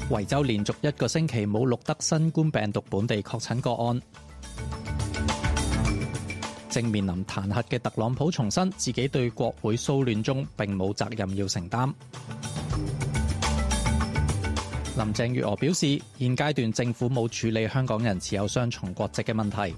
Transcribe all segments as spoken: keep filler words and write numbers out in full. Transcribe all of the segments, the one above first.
維州連續一個星期冇錄得新冠病毒本地確診個案。正面臨彈劾嘅特朗普重申自己對國會騷亂中並冇責任要承擔。林鄭月娥表示，現階段政府冇處理香港人持有雙重國籍嘅問題。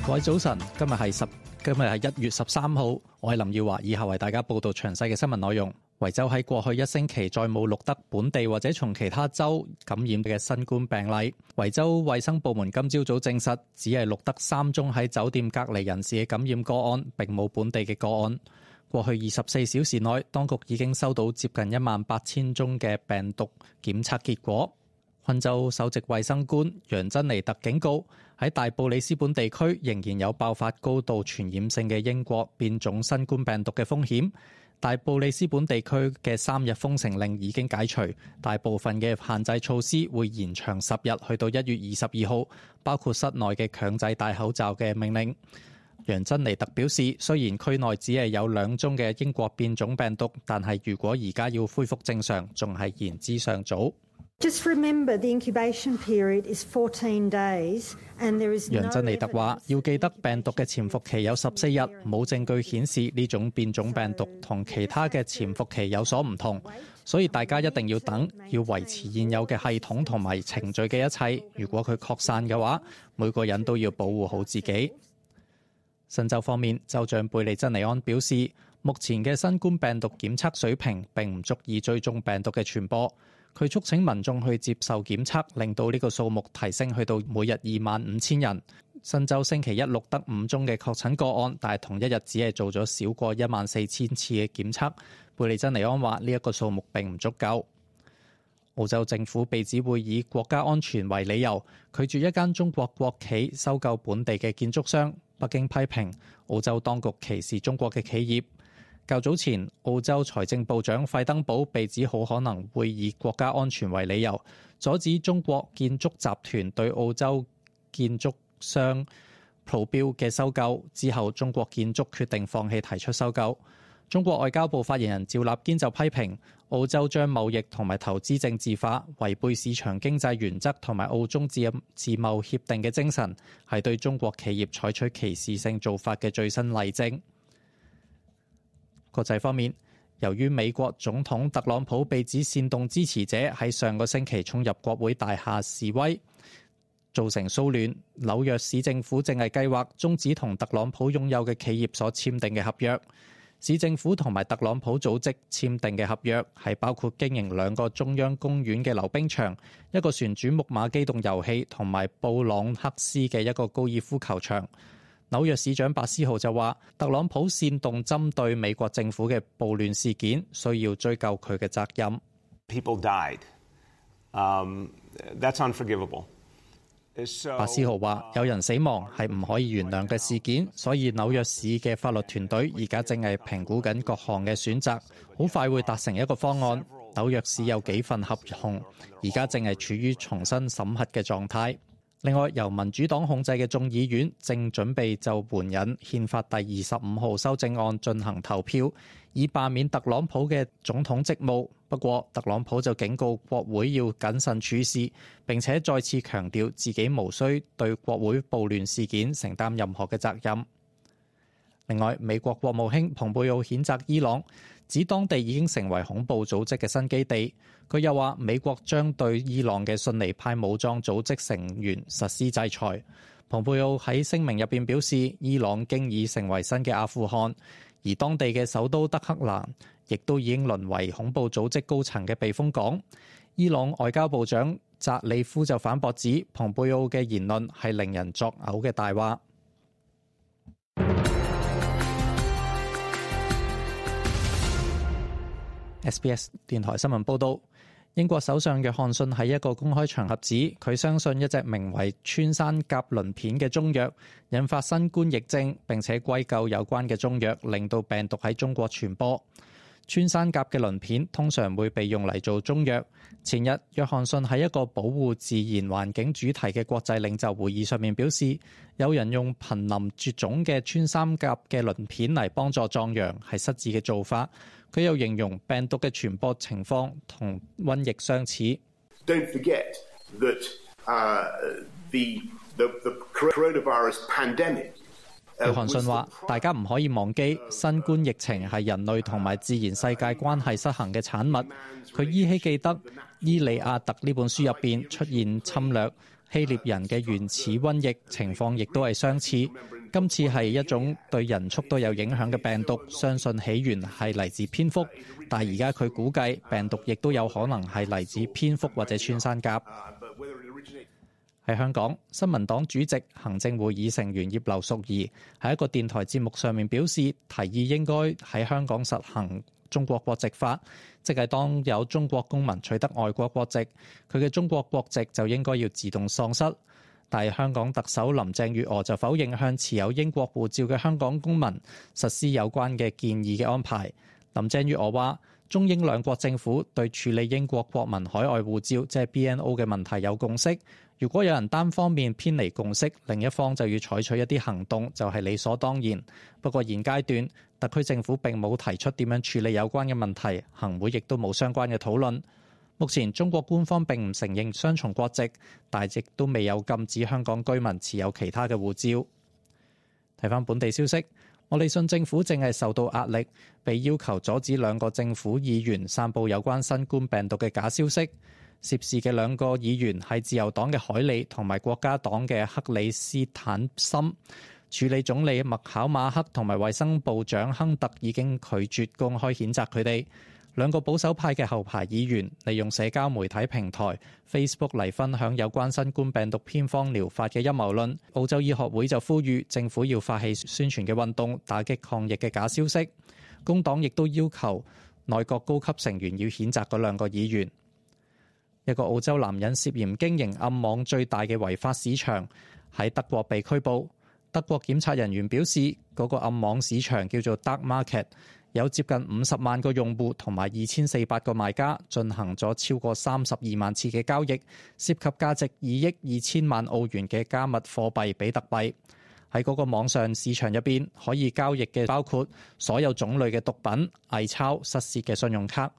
各位早晨，今日係十，今日係一月十三號，我係林耀華，以下為大家報道詳細嘅新聞內容。維州喺過去一星期再冇錄得本地或者從其他州感染嘅新冠病例。維州衛生部門今朝早證實，只係錄得三宗喺酒店隔離人士嘅感染個案，並冇本地嘅個案。過去二十四小時內，當局已經收到接近一萬八千宗嘅病毒檢測結果。昆州首席衛生官楊珍妮特警告，喺大布里斯本地區仍然有爆發高度傳染性嘅英國變種新冠病毒嘅風險。大布里斯本地區嘅三日封城令已經解除，大部分嘅限制措施會延長十日，去到一月二十二號，包括室內嘅強制戴口罩嘅命令。楊珍妮特表示，雖然區內只係有兩宗嘅英國變種病毒，但係如果而家要恢復正常，仲係言之尚早。Just remember the incubation period is fourteen days, and there is no 楊珍妮特話，要記得病毒嘅潛伏期有十四日，冇證據顯示呢種變種病毒同其他嘅潛伏期有所唔同，所以大家一定要等，要維持現有嘅系統同埋程序嘅一切。如果佢擴散嘅話，每個人都要保護好自己。新州方面，州長貝利珍尼安表示，目前嘅新冠病毒檢測水平並唔足以追蹤病毒嘅傳播。佢促請民眾去接受檢測，令到呢個數目提升去到每日二萬五千人。新州星期一錄得五宗嘅確診個案，但係同一日只係做咗少過一萬四千次嘅檢測。貝利珍尼安話呢一個數目並唔足夠。澳洲政府被指會以國家安全為理由，拒絕一間中國國企收購本地嘅建築商。北京批評澳洲當局歧視中國嘅企業。較早前，澳洲財政部長費登堡被指好可能會以國家安全為理由，阻止中國建築集團對澳洲建築商普標嘅收購。之後，中國建築決定放棄提出收購。中國外交部發言人趙立堅就批評澳洲將貿易同埋投資政治化，違背市場經濟原則同埋澳中自自貿協定嘅精神，係對中國企業採取歧視性做法嘅最新例證。國際方面，由於美國總統特朗普被指煽動支持者喺上個星期衝入國會大廈示威，造成騷亂，紐約市政府正係計劃終止同特朗普擁有嘅企業所簽訂嘅合約。市政府同埋特朗普組織簽訂嘅合約係包括經營兩個中央公園嘅溜冰場、一個旋轉木馬機動遊戲同埋布朗克斯嘅一個高爾夫球場。紐約市長白思豪就話，特朗普煽動針對美國政府嘅暴亂事件，需要追究佢嘅責任。People died. Um, that's unforgivable. 白思豪話，有人死亡係唔可以原諒嘅事件，所以紐約市嘅法律團隊而家正係評估緊各項嘅選擇，好快會達成一個方案。紐約市有幾份合同，而家正係處於重新審核嘅狀態。另外，由民主黨控制嘅眾議院正準備就援引憲法第二十五號修正案進行投票，以罷免特朗普嘅總統職務。不過，特朗普就警告國會要謹慎處事，並且再次強調自己無需對國會暴亂事件承擔任何嘅責任。另外，美國國務卿蓬佩奧譴責伊朗，指當地已經成為恐怖組織嘅新基地。佢又話，美國將對伊朗嘅遜尼派武裝組織成員實施制裁。蓬佩奧喺聲明入邊表示，伊朗經已成為新嘅阿富汗，而當地嘅首都德黑蘭亦都已經淪為恐怖組織高層嘅避風港。伊朗外交部長扎里夫就反駁指，蓬佩奧嘅言論係令人作嘔嘅大話。S B S 電台新聞報導，英國首相約翰遜喺一個公開場合指，佢相信一隻名為穿山甲鱗片嘅中藥引發新冠疫症，並且歸咎有關嘅中藥令到病毒喺中國傳播。穿山甲嘅鱗片通常會被用嚟做中藥。前日，約翰遜喺一個保護自然環境主題嘅國際領袖會議上面表示，有人用瀕臨絕種嘅穿山甲嘅鱗片嚟幫助壯陽係失智嘅做法。佢又形容病毒嘅傳播情況同瘟疫相似。Don't forget that, uh, the, the, the coronavirus pandemic約翰遜話：大家唔可以忘記，新冠疫情係人類同埋自然世界關係失衡嘅產物。佢依稀記得《伊利亞特》呢本書入邊出現侵略希臘人嘅原始瘟疫情況，亦都係相似。今次係一種對人畜都有影響嘅病毒，相信起源係嚟自蝙蝠，但係而家佢估計病毒亦都有可能係嚟自蝙蝠或者穿山甲。喺香港，新民黨主席、行政會議成員葉劉淑儀喺一個電台節目上面表示，提議應該喺香港實行中國國籍法，即係當有中國公民取得外國國籍，佢嘅中國國籍就應該要自動喪失。但係香港特首林鄭月娥就否認向持有英國護照嘅香港公民實施有關嘅建議嘅安排。林鄭月娥話：中英兩國政府對處理英國國民海外護照即係 B N O 嘅問題有共識。如果有人單方面偏離共識，另一方就要採取一啲行動，就係理所當然。不過現階段，特區政府並冇提出點樣處理有關嘅問題，行會亦都冇相關嘅討論。目前中國官方並唔承認雙重國籍，但亦都未有禁止香港居民持有其他嘅護照。睇返本地消息，莫里遜政府正係受到壓力，被要求阻止兩個政府議員散佈有關新冠病毒嘅假消息。涉事嘅兩個議員係自由黨嘅海利同埋國家黨嘅克里斯坦森。署理總理麥考馬克同埋衛生部長亨特已經拒絕公開譴責佢哋。兩個保守派嘅後排議員利用社交媒體平台 Facebook 嚟分享有關新冠病毒偏方療法嘅陰謀論。澳洲醫學會就呼籲政府要發起宣傳嘅運動，打擊抗疫嘅假消息。工黨亦都要求內閣高級成員要譴責嗰兩個議員。一個澳洲男人涉嫌經營暗網最大嘅違法市場，喺德國被拘捕。德國檢察人員表示，嗰個暗網市場叫做 Dark Market， 有接近五十萬個用戶同埋二千四百個賣家，進行咗超過三十二萬次嘅交易，涉及價值二億二千萬澳元嘅加密貨幣比特幣。喺嗰個網上市場入邊，可以交易嘅包括所有種類嘅毒品、偽鈔、失竊嘅信用卡、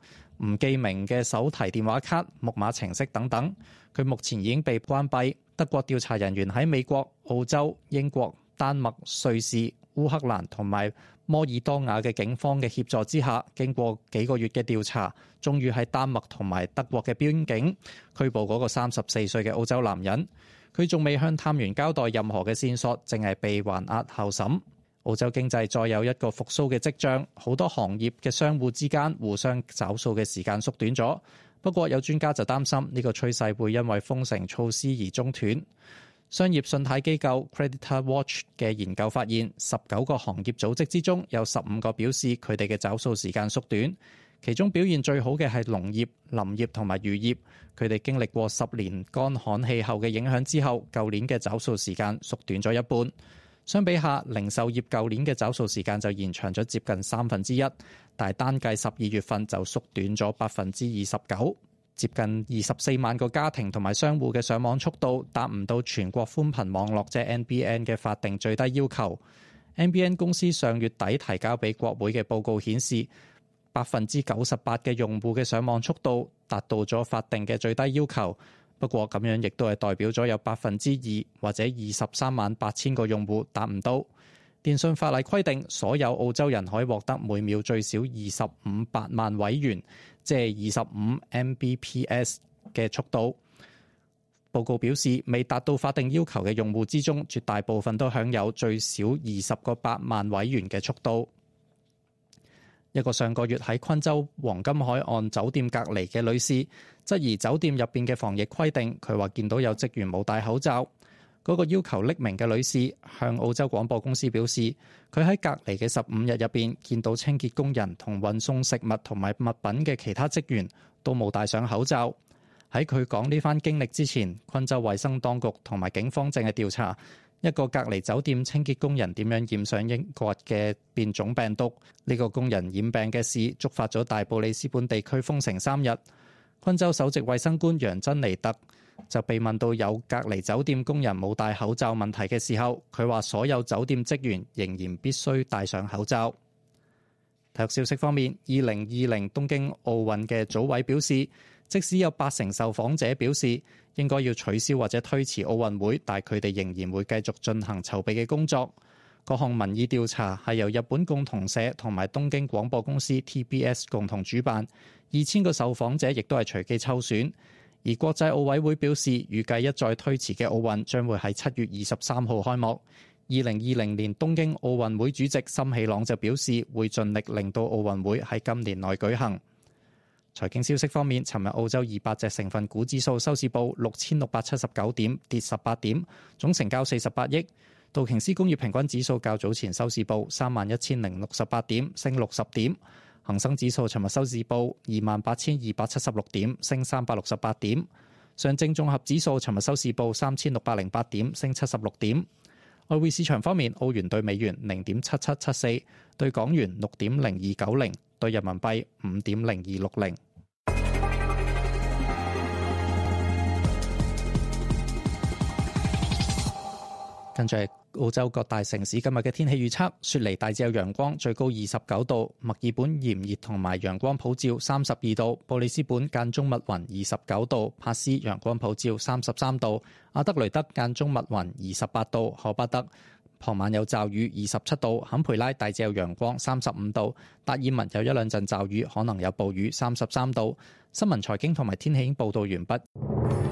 唔記名嘅手提電話卡、木馬程式等等。佢目前已經被關閉。德國調查人員喺美國、澳洲、英國、丹麥、瑞士、烏克蘭同埋摩爾多瓦嘅警方嘅協助之下，經過幾個月嘅調查，終於喺丹麥同埋德國嘅邊境拘捕嗰個三十四歲嘅澳洲男人。佢仲未向探員交代任何嘅線索，淨係被還押候審。澳洲經濟再有一個復甦嘅跡象，好多行業嘅商戶之間互相找數嘅時間縮短咗。不過有專家就擔心呢個趨勢會因為封城措施而中斷。商業信貸機構 Creditor Watch 嘅研究發現，十九個行業組織之中有十五個表示佢哋嘅找數時間縮短。其中表現最好嘅係農業、林業同埋漁業，佢哋經歷過十年乾旱氣候嘅影響之後，舊年嘅找數時間縮短咗一半。相比下，零售業舊年嘅找數時間就延長咗接近三分之一，但係單計十二月份就縮短咗百分之二十九。接近二十四萬個家庭同埋商戶嘅上網速度達唔到全國寬頻網絡即係 N B N 嘅法定最低要求。N B N 公司上月底提交俾國會嘅報告顯示，百分之九十八嘅用戶嘅上網速度達到咗法定嘅最低要求。不過咁樣亦都係代表咗有百分之二或者二十三萬八千個用戶達唔到。電信法例規定，所有澳洲人可以獲得每秒最少二十五百萬位元，即係二十五 M B P S 嘅速度。報告表示，未達到法定要求嘅用戶之中，絕大部分都享有最少二十個百萬位元嘅速度。一個上個月喺昆州黃金海岸酒店隔離嘅女士，質疑酒店入邊嘅防疫規定。佢話見到有職員冇戴口罩。嗰個要求匿名嘅女士向澳洲廣播公司表示，佢喺隔離嘅十五日入邊見到清潔工人同運送食物同埋物品嘅其他職員都冇戴上口罩。喺佢講呢番經歷之前，昆州衛生當局同埋警方正係調查一個隔離酒店清潔工人點樣染上英國嘅變種病毒。呢個工人染病嘅事觸發咗大布里斯本地區封城三日。昆州首席衛生官楊珍尼特就被問到有隔離酒店工人冇戴口罩問題嘅時候，佢話所有酒店職員仍然必須戴上口罩。體育消息方面，二零二零東京奧運嘅組委表示，即使有八成受訪者表示應該要取消或者推遲奧運會，但佢哋仍然會繼續進行籌備嘅工作。各項民意調查係由日本共同社同埋東京廣播公司 T B S 共同主辦，二千個受訪者亦都係隨機抽選。而國際奧委會表示，預計一再推遲嘅奧運將會喺七月二十三號開幕。二零二零年東京奧運會主席森喜朗就表示，會盡力令到奧運會喺今年內舉行。財經消息方面，尋日澳洲二百隻成分股指數收市報六千六百七十九點，跌十八點，總成交四十八億。道瓊斯工業平均指數較早前收市報三萬一千零六十八點，升六十點。恒生指數尋日收市報二萬八千二百七十六點，升三百六十八點。上證綜合指數尋日收市報三千六百零八點，升七十六點。外匯市場方面，澳元對美元零點七七七四，對港元六點零二九零，對人民幣五點零二六零。跟住係澳洲各大城市今日嘅天氣預測：雪梨大致有陽光，最高二十九度；墨爾本炎熱同埋陽光普照，三十二度；布里斯本間中密雲，二十九度；帕斯陽光普照，三十三度；阿德雷德間中密雲，二十八度；荷巴德傍晚有驟雨，二十七度；坎培拉大致有陽光，三十五度；達爾文有一兩陣驟雨，可能有暴雨，三十三度。新聞財經同埋天氣已經報道完畢。